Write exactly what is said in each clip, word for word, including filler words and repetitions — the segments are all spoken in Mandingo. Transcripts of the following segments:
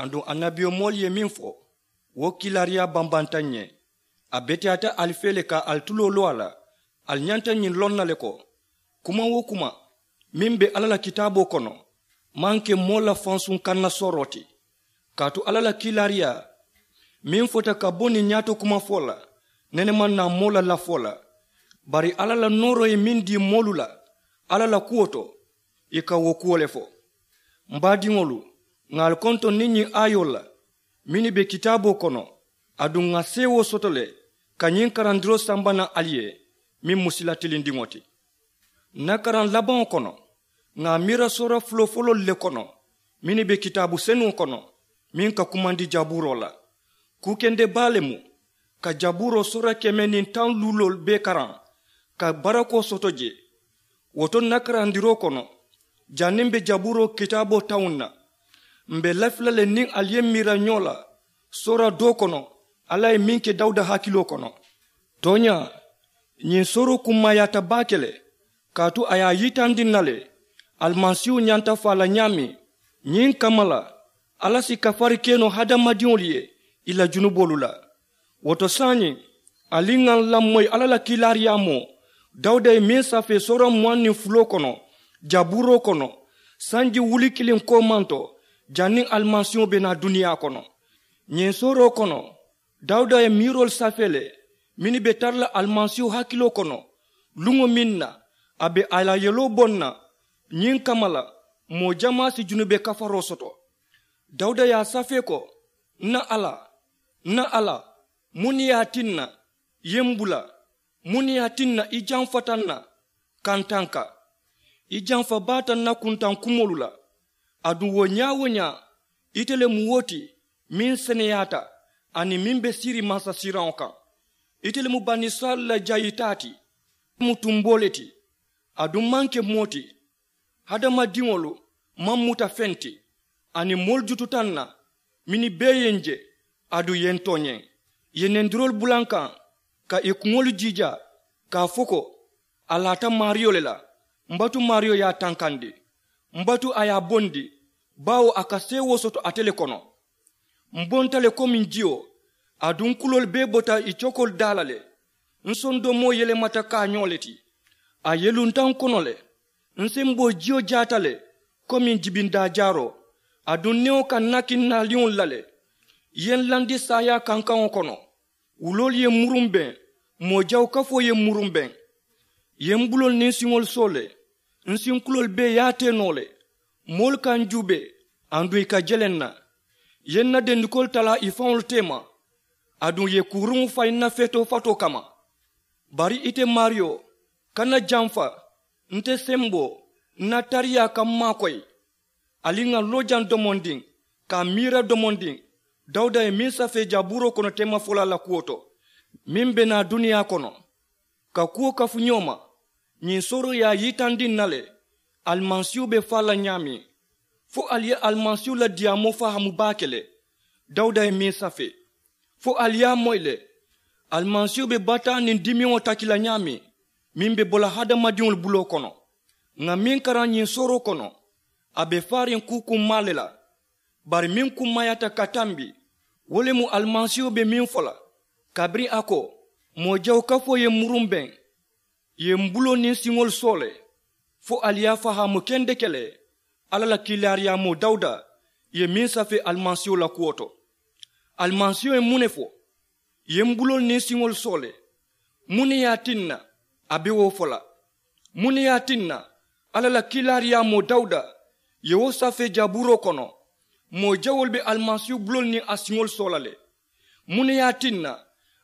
Aduŋ annabiyomoolu ye meŋ fo, wo kiilaariyaa bambanta ǹ ye. A beteyaata ali fee le ka ali tuloo loo a la. Ali ñanta ñiŋ loŋ na le ko, kuma wo kuma meŋ be alla la kitaaboo kono maŋ ke moo la fansuŋ kanna sooroo ti. Kaatu alla la kiilaariyaa meŋ fota ka bo niŋ ñaato kuma fo la, nene maŋ naa moo la lafoo la. Bari alla la nooroo ye meŋ dii moolu la alla la kuwo to, ì ka wo kuwo le fo. M baadiŋolu, ŋà ali kontoŋ niŋ ñiŋ aayoolu la mennu be kitaaboo kono. Aduŋ ŋà seewoo soto le ka ñiŋ karandiroo samba naŋ ali ye, meŋ mu sila tilindiŋo ti. Ǹ na karaŋ labaŋo kono, ŋà a miira soora fulofuloolu le kono mennu be kitaabu senuŋo kono, meŋ ka kumandi jabuuroo la. Kuu kende baa le mu ka jabuuroo soora keme niŋ taŋ luuloolu bee karaŋ ka barakoo soto jee. Wo to ǹ na karandiroo kono, janniŋ m̀ be jabuuroo kitaaboo tawuŋ na, m̀ be lafi la le niŋ ali ye miira ñoo la soora doo kono alla ye meŋ ke dawuda hakiloo kono. Tooñaa, ñiŋ sooroo kummaayaata baake le, kaatu a ye a yitandi ǹ na le alimasiihu ñanta faa la ñaameŋ. Ñiŋ kamma la, alla si kafari ke noo hadamadiŋolu ye ì la junuboolu la. Wo to saayiŋ, ali ŋà ǹ lamoyi alla la kiilaariyaamoo dawuda ye meŋ safee soora muwaŋ niŋ fuloo kono, jabuuroo kono, sanji wuli kiliŋ koomanto, janniŋ alimasiiho be naa duniyaa kono. Ñiŋ sooroo kono, dawuda ye miiroolu safee le mennu be tara la alimasiiho hakiloo kono, luŋo meŋ na a be a la yeloo boŋ na. Ñiŋ kamma la, moo jamaa si junube kafaroo soto. Dawuda ye a safee ko, ǹ na alla, ǹ na alla, muŋ ne ye a tinna i ye m bula? Muŋ ne ye a tinna i jamfata n na kantanka? I jamfa baata n na kuntaŋ kumoolu la. Aduŋ wo ñaa-wo-ñaa, ite le mu wo ti meŋ seneyaata aniŋ meŋ be siiriŋ mansasiiraŋo kaŋ. Ite le mu banisirayila la jayitaa ti. Ite mu tumboo le ti. Aduŋ maŋ ke moo ti. Hadamadiŋolu maŋ muta feŋ ti. Aniŋ moolu jututa n na mennu bee ye n je. Aduŋ i ye n tooñee, i ye nendiroolu bula n kaŋ ka ì kuŋolu jiijaa, ka a fo ko, a laata maariyo le la. M batu maariyo ye a tankandi. M batu a ye a bondi, baawo a ka seewoo soto ate le kono. M bonta le komi jiyo. Aduŋ n kuloolu bee bota ì cokoolu daa la le. N sondomoo yelemata kaañoo le ti. A yelunta n kono le. N semboo jiyo jaata le komi jibindaa jaaroo. Aduŋ newo ka n naki n naaliŋolu la le. I ye n landi saayaa kankaŋo kono. Wuloolu ye n murumbeŋ. Moo jawu kafoo ye n murumbeŋ. I ye m buloolu niŋ siŋolu soo le. N sinkuloolu bee ye a tee noo le. Moolu ka n juubee, aduŋ ì ka jele n na. I ye n na dendikoolu talaa ì faŋolu teema. Aduŋ ì ye kuuruŋo fayi n na feetoo fatoo kamma. Bari ite maariyo, kana jamfa. Nte semboo, n na tariyaa ka m maakoyi. Ali ŋà loo jaŋ domondiŋ, ka a miira domondiŋ dawuda ye meŋ safee jabuuroo kono teemafolaa la kuwo to, meŋ be naa duniyaa kono. Ka kuwo kafu ñoo ma, ñiŋ sooroo ye a yitandi ǹ na le alimasiihu be faa la ñaameŋ. Fo ali ye alimasiihu la diyaamoo fahaamu baake le. Dawuda ye meŋ safee, fo ali ye a moyi le. Alimasiihu be bataa niŋ dimiŋo taki la ñaameŋ, meŋ be bo la hadamadiŋolu buloo kono. Ŋà meŋ karaŋ ñiŋ sooroo kono, a be faariŋ kuu kummaa le la. Bari meŋ kummaayaata ka tambi, wo le mu alimasiihu be meŋ fo la, kabiriŋ a ko, moo jawu kafoo ye m murumbeŋ, ì ye m buloo niŋ siŋolu soo le. Fo ali ye a fahaamu kendeke le, alla la kiilaariyaamoo dawuda ye meŋ safee alimasiiho la kuwo to. Alimasiiho ye muŋ ne fo? Ì ye m buloolu niŋ siŋolu soo le. Muŋ ne ye a tinna a be wo fo la? Muŋ ne ye a tinna alla la kiilaariyaamoo dawuda ye wo safee jabuuroo kono? Moo jawoolu be alimasiihu buloolu niŋ a siŋolu soo la le. Muŋ ne ye a tinna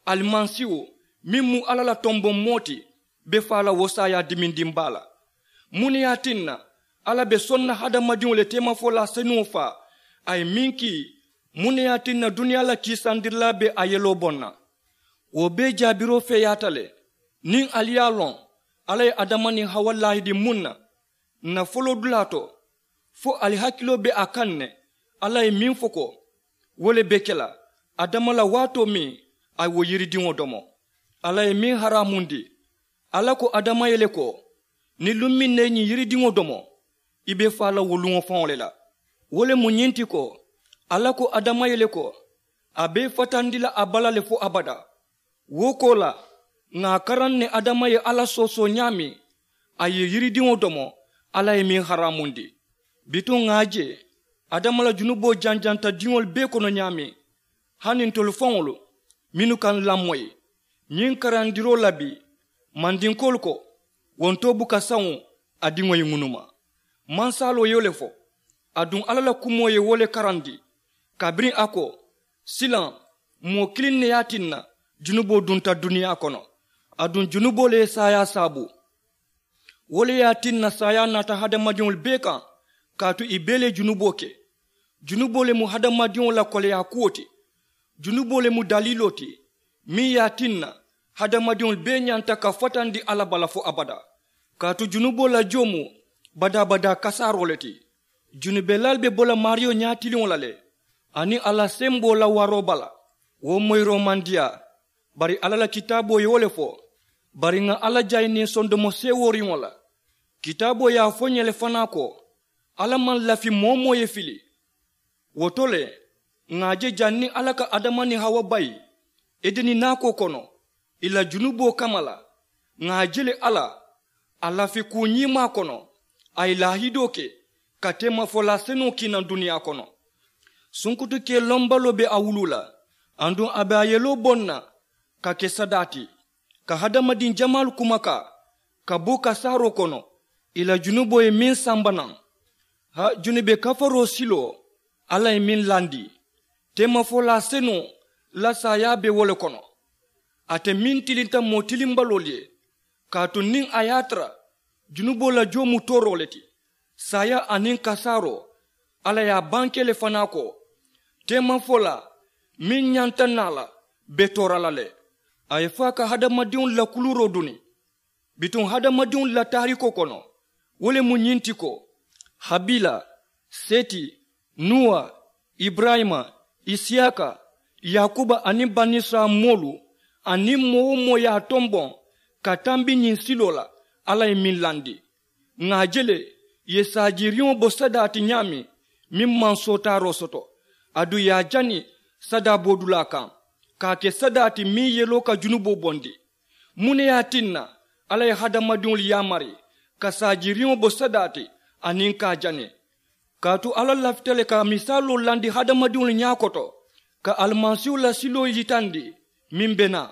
alimasiihu meŋ mu alla la tomboŋ moo ti be faa la wo saayaa dimindiŋ baa la? Muŋ ne ye a tinna alla be soŋ na hadamadiŋo le teemafolaa senuŋo faa a ye meŋ kii? Muŋ ne ye a tinna duniyaa la kiisandirilaa be a yeloo boŋ na? Wo bee jaabiroo feeyaata le. Niŋ ali ye a loŋ alla ye adama niŋ hawa laahidi muŋ na, ǹ na foloodulaa to, fo ali hakiloo be a kaŋ ne. Alla ye meŋ fo ko wo le be ke la adama la waatoo meŋ a ye wo yiridiŋo domo. Alla ye meŋ haraamundi, alla ko adama ye le ko, niŋ luŋ meŋ na i ñiŋ yiridiŋo domo, i be faa la wo luŋo faŋo le la. Wo le mu ñiŋ ti ko, Alla ko adama ye le ko a be i fatandi la a bala le fo abadaa. Wo koolaa ŋà a karaŋ ne adama ye alla soosoo ñaameŋ a ye yiridiŋo domo alla ye meŋ haraamundi. Bituŋ ŋà a je adama la junuboo janjanta diŋolu bee kono ñaameŋ, hani ntolu faŋolu mennu ka n lamoyi ñiŋ karandiroo la bii, mandinkoolu ko wo ntoo buka saŋo a diŋo ye ŋunuma. Mansaaloo ye wo le fo aduŋ alla la kumoo ye wo le karandi. Kabiriŋ a ko silaŋ moo kiliŋ ne ye a tinna junuboo dunta duniyaa kono, aduŋ junuboo le ye saayaa saabu. Wo le ye a tinna saayaa naata hadamadiŋolu bee kaŋ. Kaatu ì bee le ye junuboo ke. Junuboo le mu hadamadiŋo la koleyaa kuwo ti. Junuboo le mu daliiloo ti meŋ ye a tinna hadamadiŋolu bee ñanta ka fatandi alla bala fo abadaa. Kaatu junuboo la joo mu badaa-badaa kasaaroo le ti. Junubelaalu be bo la maariyo ñaatiliŋo la le aniŋ a la semboo la waroo bala. Wo moyiroo maŋ diyaa. Bari alla la kitaaboo ye wo le fo. Bari ŋà alla jayi niŋ sondomo seewooriŋo la. Kitaaboo ye a fo n ye le fanaa ko alla maŋ lafi moo-wo-moo ye fili. Wo to le ŋà a je janniŋ alla ka adama niŋ hawa bayi edeni naakoo kono ì la junuboo kamma la. Ŋà a je le alla a lafi kuu ñiimaa kono a ye laahidoo ke ka teemafolaa senuŋo kii naŋ duniyaa kono. Sunkutu kee lombaloo be a wuluu la aduŋ a be a yeloo boŋ na ka ke sadaa ti ka hadamadiŋ jamaalu kumakaa ka bo kasaaroo kono ì la junuboo ye meŋ samba naŋ. Ha junube kafaroo siloo alla ye meŋ landi teemafolaa senuŋo la saayaa be wo le kono. Ate meŋ tilinta moo tilimbaloolu ye kaatu niŋ a ye a tara junuboo la joo mu tooroo le ti saayaa aniŋ kasaaroo alla ye a bankee le fanaa ko teemafolaa meŋ ñanta naa la be toora la le. A ye fo a ka hadamadiŋolu la kuluuroo duni. Bituŋ hadamadiŋolu la taariikoo kono wo le mu ñiŋ ti ko habiila, seti, nuwa, iburayima, isiyaaka, yaakuba aniŋ banisirayila moolu aniŋ moo-wo-moo ye a tomboŋ ka tambi ñiŋ siloo la alla ye meŋ landi. Ŋà a je le ì ye saajiiriŋo bo sadaa ti ñaameŋ meŋ maŋ sootaaroo soto aduŋ ì ye a jani sadaa boodulaa kaŋ ka a ke sadaa ti meŋ yeloo ka junuboo bondi. Muŋ ne ye a tinna alla ye hadamadiŋolu yaamari ka saajiiriŋo bo sadaa ti aniŋ ka a jani? Kaatu alla lafita le ka misaaloo landi hadamadiŋolu ñaa koto ka alimasiihu la siloo yitandi meŋ be naa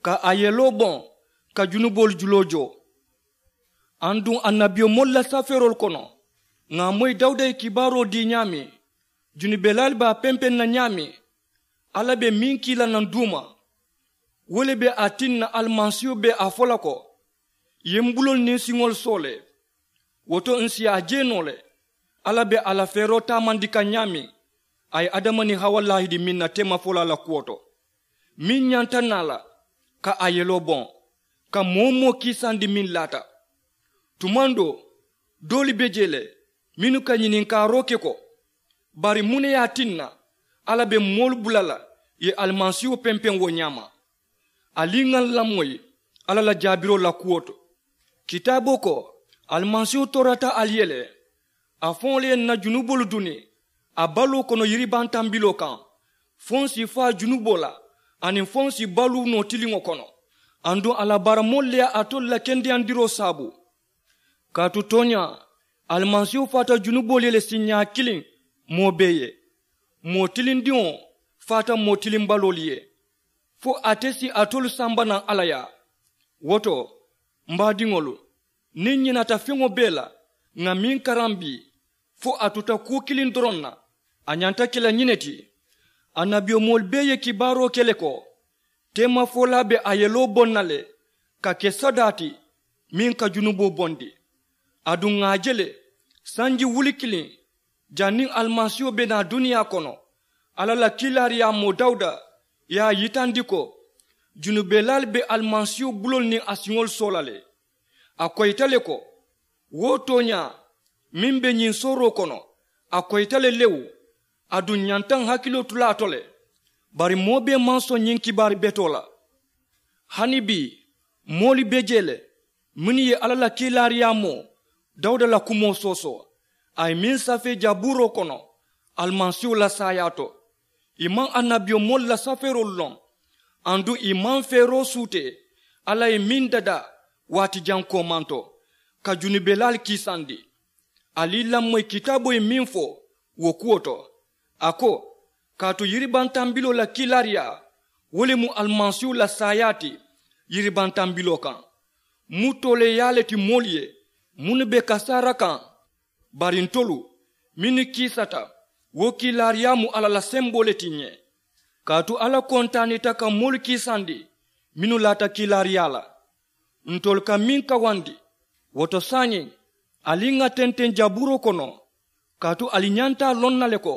ka a yeloo boŋ ka junuboolu juloo joo. Aduŋ annabiyomoolu la safeeroolu kono ŋà a moyi dawuda ye kibaaroo dii ñaameŋ junubelaalu be a pempeŋ na ñaameŋ alla be meŋ kii la naŋ duuma. Wo le be a tinna alimasiihu be a fo la ko ì ye m buloolu niŋ siŋolu soo le. Wo to ǹ si a je noo le alla be a la feeroo taamandi kaŋ ñaameŋ a ye adama niŋ hawa laahidi meŋ na teemafolaa la kuwo to meŋ ñanta naa la ka a yeloo boŋ ka moo-wo-moo kiisandi meŋ laata. Tumaŋ doo doolu be jee le mennu ka ñininkaaroo ke ko bari muŋ ne ye a tinna alla be moolu bula la ì ye alimasiihu pempeŋ wo ñaama? Ali ŋà ǹ lamoyi alla la jaabiroo la kuwo to. Kitaaboo ko alimasiihu toorata ali ye le a faŋo le ye ǹ na junuboolu duni a baloo kono yiribantambiloo kaŋ fo ǹ si faa junuboo la aniŋ fo ǹ si baluu noo tiliŋo kono. Aduŋ a la baaramoolu le ye alitolu la kendeyandiroo saabu. Kaatu tooñaa alimasiihu faata junuboolu ye le siiñaa kiliŋ moo bee ye. Moo tilindiŋo faata moo tilimbaloolu ye fo ate si alitolu samba naŋ alla yaa. Wo to m baadiŋolu niŋ ñinaata feŋo bee la ŋà meŋ karaŋ bii fo a tuta kuu kiliŋ doroŋ na a ñanta ke la ñiŋ ne ti. Annabiyomoolu bee ye kibaaroo ke le ko teemafolaa be a yeloo boŋ na le ka ke sadaa ti meŋ ka junuboo bondi. Aduŋ ŋà a je le sanji wuli kiliŋ janniŋ alimasiiho be naa duniyaa kono alla la kiilaariyaamoo dawuda ye a yitandi ko junubelaalu be alimasiiho buloolu niŋ a siŋolu soo la le. A koyita le ko wo tooñaa meŋ be ñiŋ sooroo kono a koyita le lewu. Aduŋ ñanta ǹ hakiloo tu la a to le bari moo bee maŋ soŋ ñiŋ kibaari betoo la. Hani bii moolu be jee le mennu ye alla la kiilaariyaamoo dawuda la kumoo soosoo a ye meŋ safee jabuuroo kono alimasiiwo la saayaa to. Ì maŋ annabiyomoolu la safeeroolu loŋ. Aduŋ ì maŋ feeroo suutee alla ye meŋ dadaa waati jaŋ koomanto ka junubelaalu kiisandi. Ali lamoyi kitaaboo ye meŋ fo wo kuwo to, a ko, kaatu yiribantambiloo la kiilaariyaa wo le mu alimasiiwo la saayaa ti yiribantambiloo kaŋ. Mu tooleeyaa le ti moolu ye mennu be kasaara kaŋ. Bari ntolu mennu kiisata wo kiilaariyaa mu alla la semboo le ti ǹ ye. Kaatu alla kontaanita ka moolu kiisandi mennu laata kiilaariyaa la. Ntolu ka meŋ kawandi wo to saayiŋ, ali ŋà tenteŋ jabuuroo kono. Kaatu ali ñanta a loŋ na le ko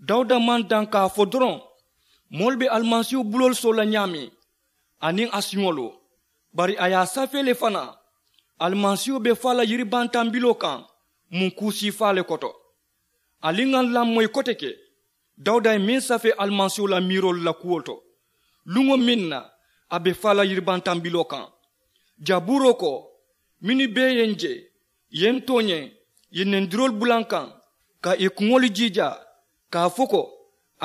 dawuda maŋ daŋ ka a fo doroŋ moolu be alimasiihu buloolu soo la ñaameŋ aniŋ a siŋolu. Bari a ye a safee le fanaa alimasiihu be faa la yiribantambiloo kaŋ mu kuu siifaa le koto. Ali ŋà lamoyi kote ke dawuda ye meŋ safee alimasiihu la miiroolu la kuwo to luŋo meŋ na a be faa la yiribantambiloo kaŋ. Jabuuroo ko, mennu bee ye ǹ je ì ye ǹ tooñee ì ye nendiroolu bula ǹ kaŋ ka ì kuŋolu jiijaa ka a fo ko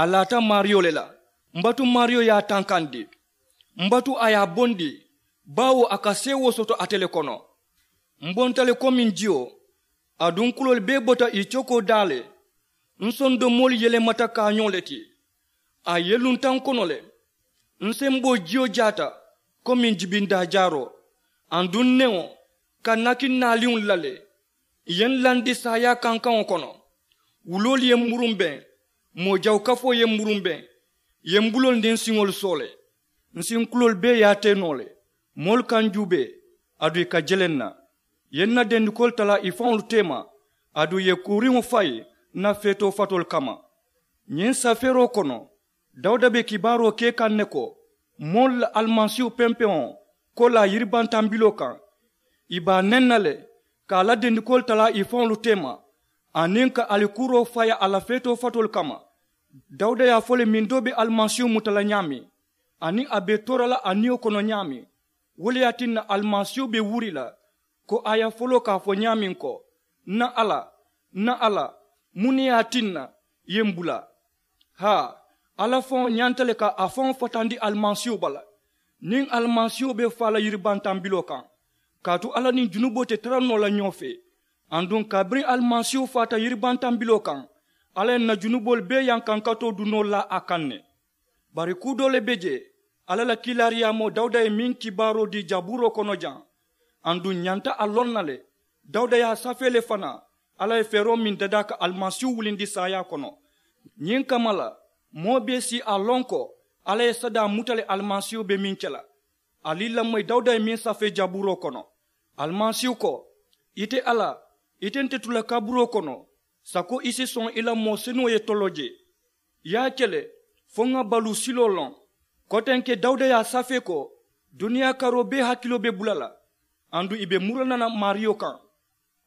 a laata maariyo le la. M batu maariyo ye a tankandi. M batu a ye a bondi baawo a ka seewoo soto ate le kono. M bonta le komiŋ jiyo. Aduŋ kuloolu bee bota ì cokoo daa le. N sondomoolu yelemata kaañoo le ti. A yelunta n kono le. N semboo jiyo jaata komiŋ jibindaa jaaroo. Aduŋ newo ka nakiŋ naaliŋolu la le. Ì ye n landi saayaa kankaŋo kono. Wuloolu ye n murumbeŋ. Moo jawu kafoo ye n murumbeŋ. Ì ye n buloolu niŋ n siŋolu soo le. N sinkuloolu bee ye a tee noo le. Moolu ka n juubee aduŋ ì ka jeleŋ n na. Ì ye n na dendikoolu talaa ì faŋolu teema aduŋ ì ye kuuriŋo fayi n na feetoo fatoolu kamma. Ñiŋ safeeroo kono dawuda be kibaaroo ke kaŋ ne ko moolu la alimasiihu pempeŋo koolaa yiribantambiloo kaŋ. Ì be a neŋ na le ka a la dendikoolu talaa ì faŋolu teema aniŋ ka alikuuroo fayi a la feetoo fatoolu kamma. Dawuda ye a fo le miŋ doo be alimasiihu muta la ñaameŋ aniŋ a be toora la a niyo kono ñaameŋ. Wo le ye a tinna alimasiihu be wuri la ko a ye a foloo ka a fo ñaameŋ ko, n na alla, n na alla, muŋ ne ye a tinna ì ye m bula? Haa, alla faŋo ñanta le ka a faŋo fatandi alimasiihu bala. Niŋ alimasiihu be faa la yiribantambiloo kaŋ kaatu alla niŋ junuboo te tara noo la ñoo fee. Aduŋ kabiriŋ alimasiihu faata yiribantambiloo kaŋ alla ye n na junuboolu bee yankankatoo dunoo laa a kaŋ ne. Bari kuu doo le be jee alla la kiilaariyaamoo dawuda ye meŋ kibaaroo dii jabuuroo kono jaŋ. Aduŋ ǹ ñanta a loŋ na le dawuda ye a safee le fanaa alla ye feeroo meŋ dadaa ka alimasiihu wulindi saayaa kono. Ñiŋ kamma la moo bee si a loŋ ko alla ye sadaa muta le alimasiihu be meŋ ke la. Ali lamoyi dawuda ye meŋ safee jabuuroo kono. Alimasiihu ko, ite alla, ite nte tu la kaburoo kono sako i si soŋ i la moo senuŋo ye toloo jee. Ì ye a ke le fo ŋà baluu siloo loŋ. Kotenke dawuda ye a safee ko duniyaa karoo bee hakiloo be bula la. Aduŋ ì be murana la maariyo kaŋ.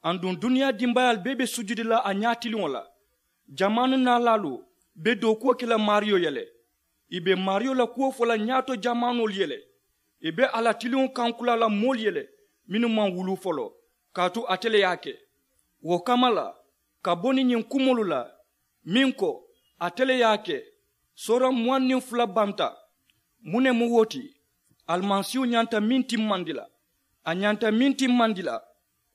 Aduŋ duniyaa dimbaayaalu bee be sujudi la a ñaatiliŋo la. Jamaanu naalaalu be dookuwo ke la maariyo ye le. Ì be maariyo la kuwo fo la ñaato jamaanoolu ye le. Ì be a la tiliŋo kankulaa la moolu ye le mennu maŋ wuluu foloo kaatu ate le ye a ke. Wo kamma la ka bo niŋ ñiŋ kumoolu la meŋ ko ate le ye a ke. Soora muwaŋ niŋ fula banta. Muŋ ne mu wo ti? Alimasiihu ñanta meŋ timmandi la a ñanta meŋ timmandi la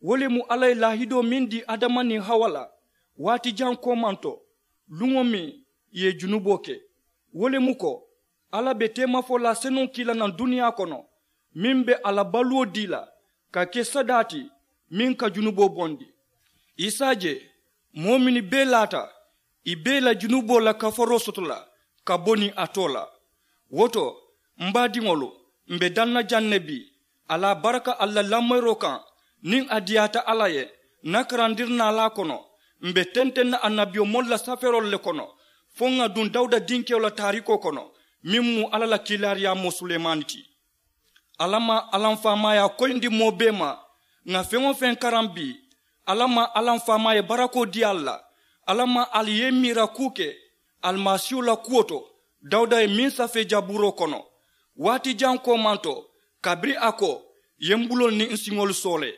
wo le mu alla ye laahidoo meŋ dii adama niŋ hawa la waati jaŋ koomanto luŋo meŋ ì ye junuboo ke. Wo le mu ko alla be teemafolaa senuŋo kii la naŋ duniyaa kono meŋ be a la baluwo dii la ka ke sadaa ti meŋ ka junuboo bondi. I si a je moo mennu bee laata ì bee la junuboo la kafaroo soto la ka bo niŋ a too la. Wo to m baadiŋolu, m be daŋ na jaŋ ne bii. Ali a baraka ali la lamoyiroo kaŋ niŋ a diyaata alla ye. N na karandiri naalaa kono m be tenteŋ na annabiyomoolu la safeeroolu le kono fo ŋà duŋ dawuda dinkewo la taariikoo kono meŋ mu alla la kiilaariyaamoo sulemaani ti. Alla maŋ alamfaamaayaa koyindi moo bee ma ŋà feŋ-wo-feŋ karaŋ bii. Alla maŋ alamfaamaa ye barakoo dii ali la. Alla maŋ ali ye i miira kuu ke alimasiihu la kuwo to dawuda ye meŋ safee jabuuroo kono waati jaŋ koomanto kabiriŋ a ko, ì ye m buloolu niŋ n siŋolu soo le.